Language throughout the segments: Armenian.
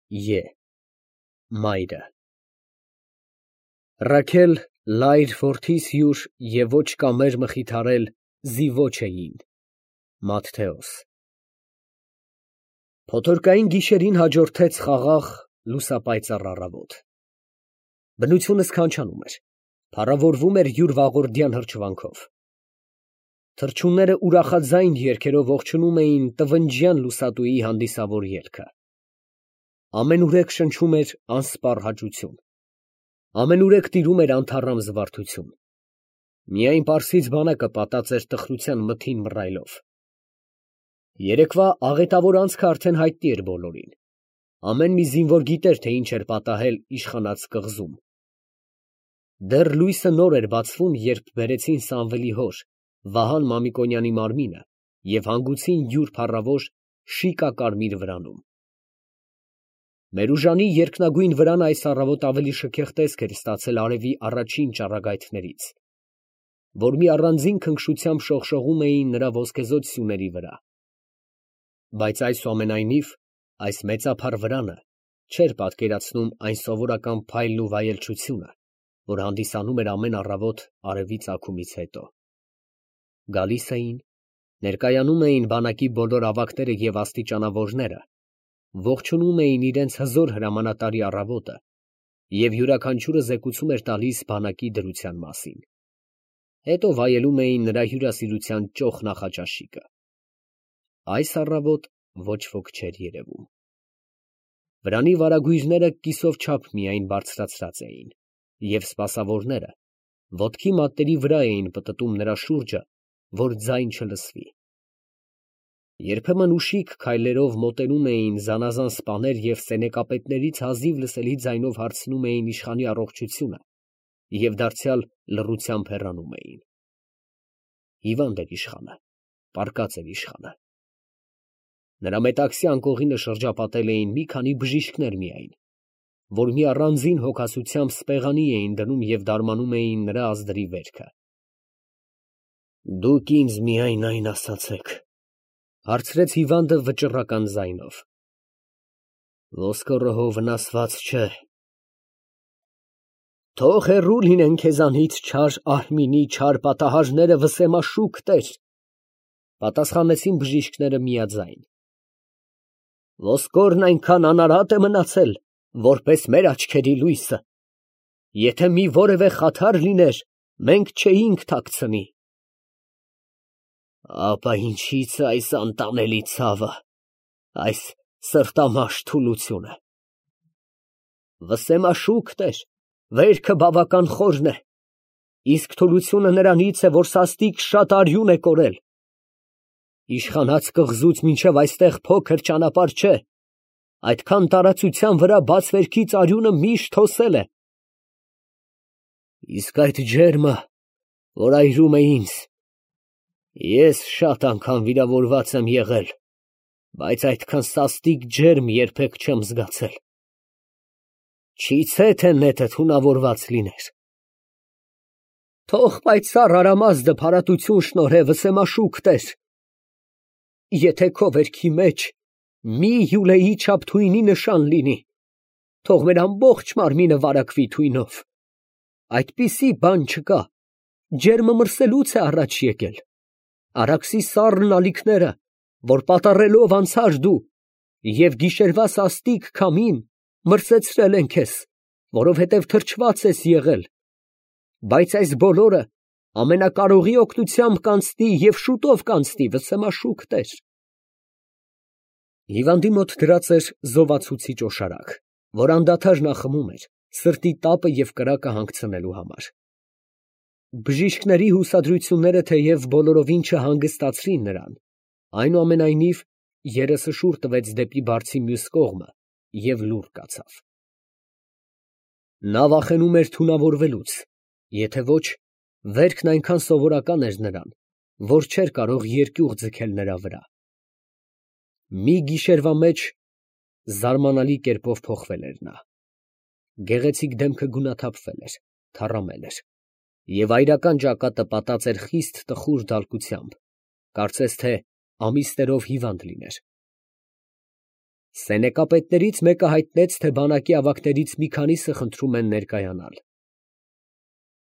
Ե Մայրը Ռաքել լայր որդիս հյուր և ոչ կամեր մխիթարել զիվոչ էին։ Մատթեոս Փոթորկային գիշերին հաջորդեց խաղաղ լուսապայծառ առավոտ։ Բնությունը սքանչանում էր, փառավորվում էր յուր վաղորդյան հրճվանքով։ Թռչունները ուրախաձայն երգերով ողջունում էին տվնջյան լուսատուի հանդիսավոր ելքը։ Ամենուրեք շնչում էր անսպառ հաճություն, ամենուրեք տիրում էր անթառամ զվարթություն։ Միայն Պարսից բանակը պատած էր տխրության մթին մռայլով։ Երեկվա աղետավոր անցքը արդեն հայտնի էր բոլորին։ Ամեն մի զինվոր գիտեր, թե ինչ էր պատահել իշխանած կղզում։ Դեռ լույսը նոր էր բացվում, երբ բերեցին Սամվելի հոր Վահան Մամիկոնյանի մարմինը և հանգուցին յուր փառավոր շիկակարմիր վրանում։ Մերուժանի երկնագույն վրանը այս առավոտ ավելի շքեղ տեսք էր ստացել արևի առաջին ճառագայթներից, որ մի առանձին քնքշությամբ շողշողում էին նրա ոսկեզօծ սյուների վրա։ Բայց այսուամենայնիվ այս մեծափառ վրանը չէր պատկերացնում այն սովորական փայլն ու վայելչությունը, որ հանդիսանում էր ամեն առավոտ արևի ծագումից հետո։ Գալիս էին, ներկայանում էին բանակի բոլոր ավագները և աստիճանավորները, ողջունում էին իրենց հզոր հրամանատարի առավոտը և յուրաքանչյուրը զեկուցում էր տալիս բանակի դրության մասին։ Հետո վայելում էին նրա հյուրասիրության ճոխ նախաճաշիկը։ Այս առավոտ ոչ ոք չէր երևում։ Վրանի վարագույրները կիսով չափ միայն բարձրացրած էին, և սպասավորները ոտքի մատների վրա էին պտտում նրա շուրջը, որ ձայն չլսվի։ Երբեմն ուշիք քայլերով մոտենում էին զանազան սպաներ և սենեկապետներից հազիվ լսելի ձայնով հարցնում էին իշխանի առողջությունը և դարձյալ լռությամբ հեռանում էին։ Հիվանդ էր իշխանը, պառկած էր իշխանը։ Նրա մետաքսի անկողինը շրջապատել էին մի քանի բժիշկներ միայն, որ մի առանձին հոգասությամբ սպեղանի էին դնում և դարմանում էին նրա ազդրի վերքը։ «Դուք ինձ միայն այն ասացեք, ֊ հարցրեց հիվանդը վճռական ձայնով, ֊ ոսկորը հո վնասված չէ։ ֊ Թող հեռու լինեն քեզանից չար Արմինի չար պատահարները, վսեմաշուք տեր, ֊ պատասխանեցին բժիշկները միաձայն։ Ոսկորն այնքան անարատ է մնացել, որպես մեր աչքերի լույսը. եթե մի որևէ խաթար լիներ, մենք չէինք թաքցնի։ Ապա ինչի՞ց է այս անտանելի ցավը, այս սրտամաշ թուլությունը։ Վսեմաշուք տեր, վերքը բավական խորն է, իսկ թուլությունը նրանից է, որ սաստիկ շատ արյուն է կորել։ Իշխանած կղզուց մինչև այստեղ փոքր ճանապարհ չէ, այդքան տարածության վրա բացվերքից արյունը միշտ հոսել է։ Իսկ այդ ջերմը, որ այրում է ինձ, ես շատ անգամ վիրավորված եմ եղել, բայց այդքան սաստիկ ջերմ երբեք չեմ զգացել։ Չիցե թե նետը թունավորված լիներ։ Թող պայծառ արամազդը փարատություն շնորհե, վսեմաշուք տեր։ Եթե քո վերքի մեջ մի հյուրեի չափ թույնի նշան լինի, թող մեր ամբողջ մարմինը վարակվի թույնով։ Այդպիսի բան չկա, ջերմը մրսելուց է առաջ եկել։ Արաքսի սառն ալիքները, որ պատառելով անցար դու, և գիշերվա սաստիկ քամին մրսեցրել են քեզ, որովհետև թրջված ես եղել, բայց այս բոլորը ամենակարողի օգնությամբ կանցնի և շուտով կանցնի, վսեմաշուք տեր։ Հիվանդի մոտ դրած էր զովացուցիչ օշարակ, որ անդադար նա խմում էր սրտի տապը և կրակը հանգցնելու համար։ Բժիշկների հուսադրությունները թեև բոլորովին չհանգստացրին նրան, այնուամենայնիվ երեսը շուռ տվեց դեպի բարձի մյուս կողմը և լուռ կացավ։ Նա վախենում էր թունավորվելուց, եթե ոչ, վերքն այնքան սովորական էր նրան, որ չէր կարող երկյուղ ձգել նրա վրա։ Մի գիշերվա մեջ զարմանալի կերպով փոխվել էր նա։ Գեղեցիկ դեմքը գունաթափվել էր, թառամել էր, և այրական ճակատը պատած էր խիստ տխուր դալկությամբ, կարծես թե ամիսներով հիվանդ լիներ։ Սենեկապետներից մեկը հայտնեց, թե բանակի ավագներից մի քանիսը խնդրում են ներկայանալ։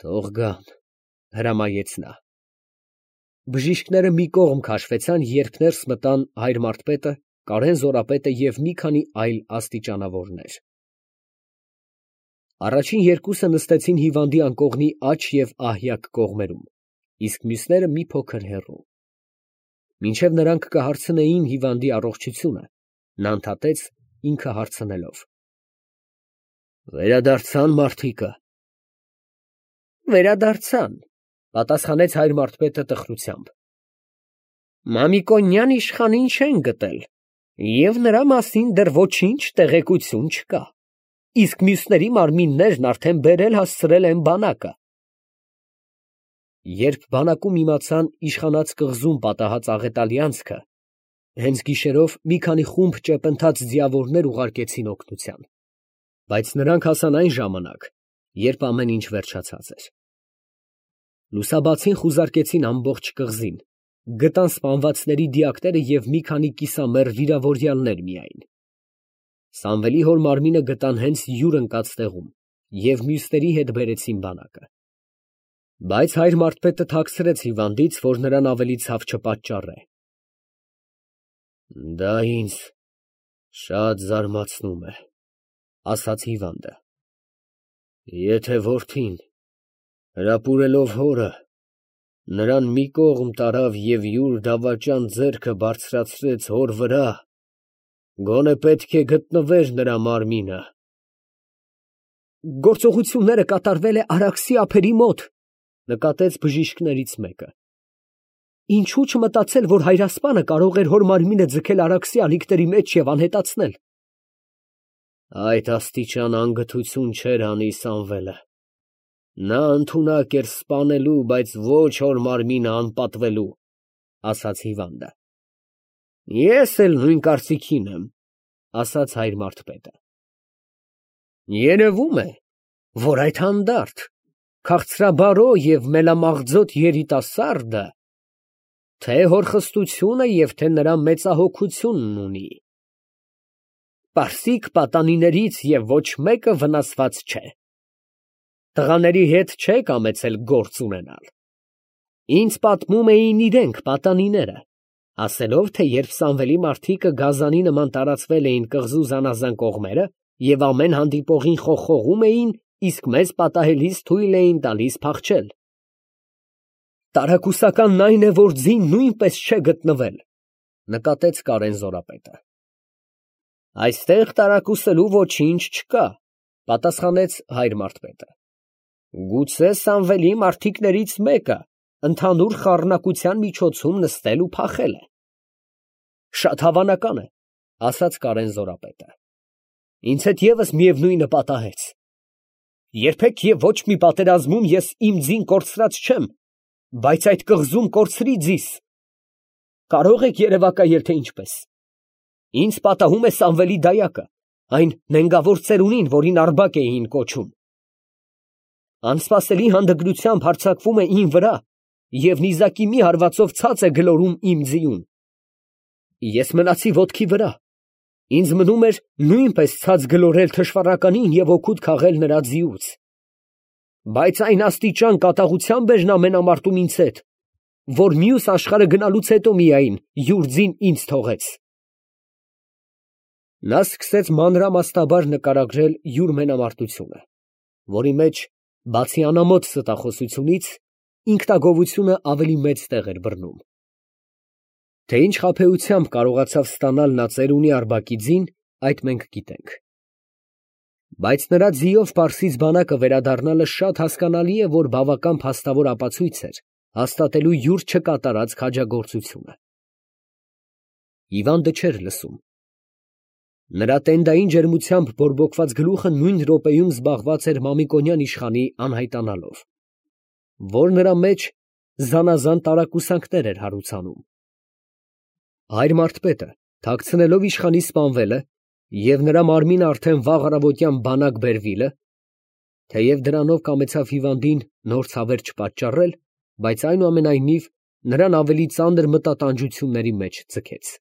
Թող գան, հրամայեց նա։ Բժիշկները մի կողմ քաշվեցան, երբ ներս մտան հայր Մարդպետը, Կարեն Զորապետը և մի քանի այլ աստիճանավորներ։ Առաջին երկուսը նստեցին հիվանդի անկողնի աջ և ահյակ կողմերում, իսկ մյուսները մի փոքր հեռու։ Մինչև նրանք կհարցնեին հիվանդի առողջությունը, նա ընդհատեց, ինքը հարցնելով. Վերադարձան մարդիկը։ Վերադարձան, պատասխանեց հայր Մարդպետը տխրությամբ։ Մամիկոնյան իշխանին չեն գտել, և նրա մասին դեռ ոչինչ տեղեկություն չկա, իսկ մյուսների մարմիններն արդեն բերել հասցրել են բանակը։ Երբ բանակում իմացան իշխանած կղզում պատահած աղետալի անցքը, հենց գիշերով մի քանի խումբ ճեպընթաց ձիավորներ ուղարկեցին օգնության, բայց նրանք հասան այն ժամանակ, երբ ամեն ինչ վերջացած էր։ Լուսաբացին խուզարկեցին ամբողջ կղզին, գտան սպանվածների դիակները և մի քանի կիսամեռ վիրավորյալներ միայն։ Սամվելի հոր մարմինը գտան հենց յուր ընկած տեղում և մյուսների հետ բերեցին բանակը։ Բայց հայր Մարդպետը թաքցրեց հիվանդից, որ նրան ավելի ցավ չպատճառե։ Դա ինձ շատ զարմացնում է, ասաց հիվանդը։ Եթե որդին, հրապուրելով հորը, նրան մի կողմ տարավ և յուր դավաճան ձեռքը բարձրացրեց հոր վրա, գոնե պետք է գտնվեր նրա մարմինը։ Գործողությունները կատարվել է Արաքսի ափերի մոտ, նկատեց բժիշկներից մեկը։ Ինչու չմտածել, որ հայրասպանը կարող էր հոր մարմինը ձգել Արաքսի ալիքների մեջ և անհետացնել։ Այդ աստիճան անգթություն չէր անի Սամվելը։ Նա ընդունակ էր սպանելու, բայց ոչ հոր մարմինը անպատվելու, ասաց հիվանդը։ Ես էլ նույն կարծիքին եմ, ասաց հայր Մարդպետը։ Երևում է, որ այդ հանդարտ, քաղցրաբարո և մելամաղձոտ երիտասարդը թե հորխստությունը և թե նրա մեծահոգությունն ունի։ Պարսիկ պատանիներից և ոչ մեկը վնասված չէ։ Տղաների հետ չէ կամեցել գործ ունենալ։ Ինձ պատմում էին իրենք պատանիները, ասելով, թե երբ Սամվելի մարդիկը գազանի նման տարածվել էին կղզու զանազան կողմերը և ամեն հանդիպողին խողխողում էին, իսկ մեզ պատահելիս թույլ էին տալիս փախչել։ Տարակուսականն այն է, որ ձին նույնպես չէ գտնվել, նկատեց Կարեն Զորապետը։ Այստեղ տարակուսելու ոչինչ չկա, պատասխանեց հայր Մարդպետը։ Գուցե Սամվելի մարդիկներից մեկը ընդհանուր խառնակության միջոցում նստել ու փախել է։ Շատ հավանական է, ասաց Կարեն Զորապետը։ Ինձ հետ ևս միևնույնը պատահեց։ Երբեք և ոչ մի պատերազմում ես իմ ձին կորցրած չեմ, բայց այդ կղզում կորցրի ձիս։ Կարող եք երևակայել, թե ինչպես։ Ինձ պատահում է Սամվելի դայակը, այն նենգավոր ծերունին, որին Արբակ էին կոչում։ Անսպասելի հանդգնությամբ հարձակվում է իմ վրա և նիզակի մի հարվածով ցած է գլորում իմ ձիուն։ Ես մնացի ոտքի վրա, ինձ մնում էր նույնպես ցած գլորել թշվառականին և օգուտ քաղել նրա ձիուց։ Բայց այն աստիճան կատաղությամբ էր նա մենամարտում ինձ հետ, որ մյուս աշխարհը գնալուց հետո միայն յուր ձին ինձ թողեց։ Նա սկսեց մանրամասնաբար նկարագրել յուր մենամարտությունը, որի մեջ, բացի անամոթ ստախոսությունից, ինքնագովությունը ավելի մեծ տեղ էր բռնում։ Թե ինչ խաբեությամբ կարողացավ ստանալ նա ծերունի Արբակի ձին, այդ մենք գիտենք։ Բայց նրա ձիով Պարսից բանակը վերադառնալը շատ հասկանալի է, որ բավական փաստավոր ապացույց էր հաստատելու յուր չկատարած քաջագործությունը։ Հիվանդը չէր լսում։ Նրա տենդային ջերմությամբ բորբոքված գլուխը նույն րոպեում զբաղված էր Մամիկոնյան իշխանի անհայտանալով, որ նրա մեջ զանազան տարակուսանքներ էր հարուցանում։ Հայր Մարդպետը, թաքցնելով իշխանի սպանվելը և նրա մարմինը արդեն վաղ առավոտյան բանակ բերվիլը, թեև դրանով կամեցավ հիվանդին նոր ցավեր չպատճառել, բայց այնուամենայնիվ նրան ավելի ծանր մտատանջությունների մեջ ձգեց։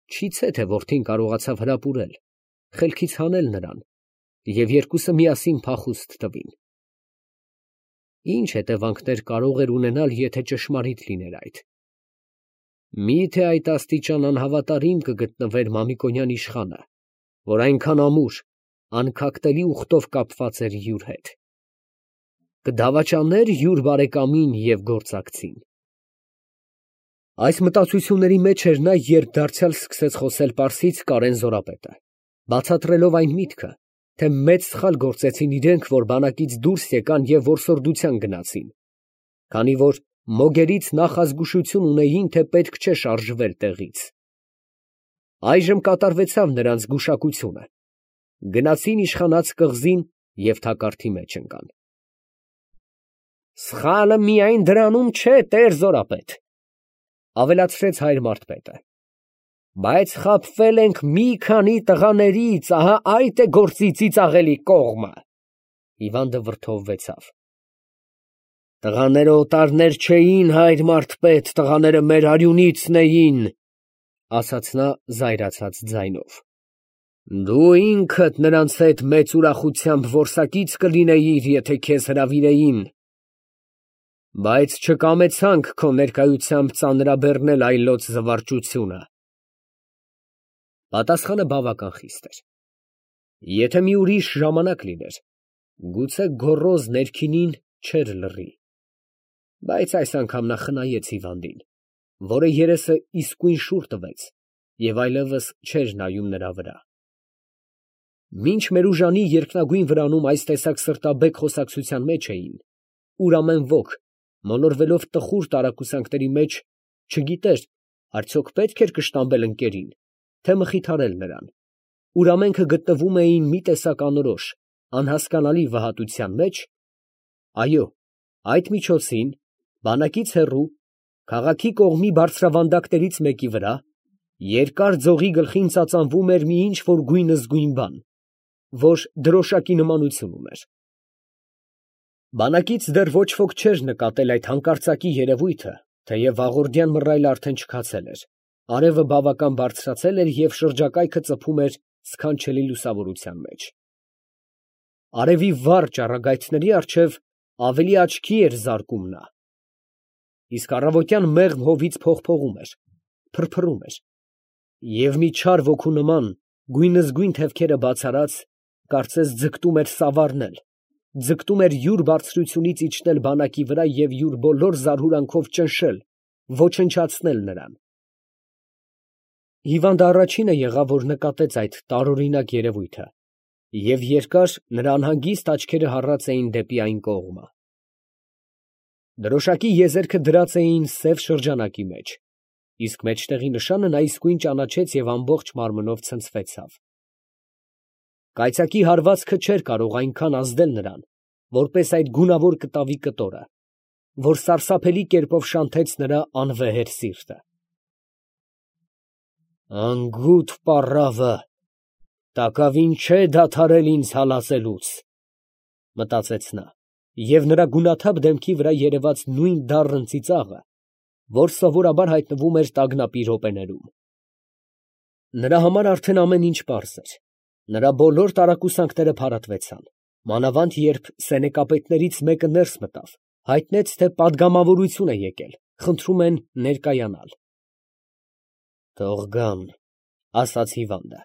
Չիցե թե որդին կարողացավ հրապուրել, խելքից հանել նրան և երկուսը միասին փախուստ տվին։ Ինչ հետևանքներ կարող էր ունենալ, եթե ճշմարիտ լիներ այդ։ Մի՞թե այդ աստիճան անհավատարիմ կգտնվեր Մամիկոնյան իշխանը, որ այնքան ամուր, անքակտելի ուխտով կապված էր յուր հետ։ Կդավաճաներ յուր բարեկամին և գործակցին։ Այս մտածությունների մեջ էր նա, երբ դարձյալ սկսեց խոսել պարսից Կարեն Զորապետը, բացատրելով այն միտքը, թե մեծ սխալ գործեցին իրենք, որ բանակից դուրս եկան և որսորդության գնացին, քանի որ մոգերից նախազգուշություն ունեին, թե պետք չէ շարժվել տեղից։ Այժմ կատարվեցավ նրանց գուշակությունը, գնացին իշխանած կղզին և թակարդի մեջ ընկան։ Սխալը միայն դրանում չէ, տեր Զորապետ, ավելացրեց հայր Մարդպետը, բայց խաբվել ենք մի քանի տղաներից, ահա այդ է գործի ծիծաղելի կողմը։ Հիվանդը վրդովվեցավ։ Տղաները օտարներ չէին, հայր Մարդպետ, տղաները մեր արյունիցն էին, ասաց նա զայրացած ձայնով։ Դու ինքդ նրանց հետ մեծ ուրախությամբ որսակից կլինեիր, եթե քեզ հրավիրեին, բայց չկամեցանք քո ներկայությամբ ծանրաբեռնել այլոց զվարճությունը։ Պատասխանը բավական խիստ էր։ Եթե մի ուրիշ ժամանակ լիներ, գուցե գոռոզ ներքինին չէր լռի, բայց այս անգամ նա խնայեց հիվանդին, որը երեսը իսկույն շուռ տվեց և այլևս չէր նայում նրա վրա։ Մինչ Մերուժանի երկնագույն վրանում այս տեսակ սրտաբեկ խոսակցության մեջ էին, ուր ամեն ոք, մոլորվելով տխուր տարակուսանքների մեջ, չգիտեր, արդյոք պետք էր կշտամբել ընկերին, թե մխիթարել նրան, ուր ամենքը գտնվում էին մի տեսակ անորոշ, անհասկանալի վհատության մեջ, այո, այդ միջոցին, բանակից հեռու, քաղաքի կողմի բարձրավանդակներից մեկի վրա, երկար ձողի գլխին ծածանվում էր մի ինչ֊որ գույնզգույն բան, որ դրոշակի նմանություն ուներ։ Բանակից դեռ ոչ ոք չէր նկատել այդ հանկարծակի երևույթը, թեև վաղորդյան մռայլը արդեն չքացել էր, արևը բավական բարձրացել էր և շրջակայքը ծփում էր սքանչելի լուսավորության մեջ։ Արևի վառ ճառագայթների առջև ավելի աչքի էր զարկում նա, իսկ առավոտյան մեղմ հովից փողփողում էր, փրփրում էր, և մի չար ոգու նման գույնզգույն թևքերը բացառած, կարծես ձգտում էր սավառնել, ձգտում էր յուր բարձրությունից իջնել բանակի վրա և յուր բոլոր զարհուրանքով ճնշել, ոչնչացնել նրան։ Հիվանդը առաջինը եղավ, որ նկատեց այդ տարօրինակ երևույթը, և երկար նրա անհանգիստ աչքերը հառած էին դեպի այն կողմը։ Դրոշակի եզերքը դրած էին սև շրջանակի մեջ, իսկ մեջտեղի նշանը նա իսկույն ճանաչեց և ամբողջ մարմնով ցնցվեցավ։ Կայծակի հարվածքը չէր կարող այնքան ազդել նրան, որպես այդ գունավոր կտավի կտորը, որ սարսափելի կերպով շանթեց նրա անվեհեր սիրտը։ Անգութ պառավը, տակավին չէ դադարել ինձ հալածելուց, մտածեց նա, և նրա գունաթափ դեմքի վրա երևաց նույն դառն ծիծաղը, որ սովորաբար հայտնվում էր տագնապի րոպեներում։ Նրա համար արդեն ամեն ինչ պարզ էր, նրա բոլոր տարակուսանքները փարատվեցան, մանավանդ երբ սենեկապետներից մեկը ներս մտավ, հայտնեց, թե պատգամավորություն է եկել, խնդրում են ներկայանալ։ Թող գան, ասաց հիվանդը։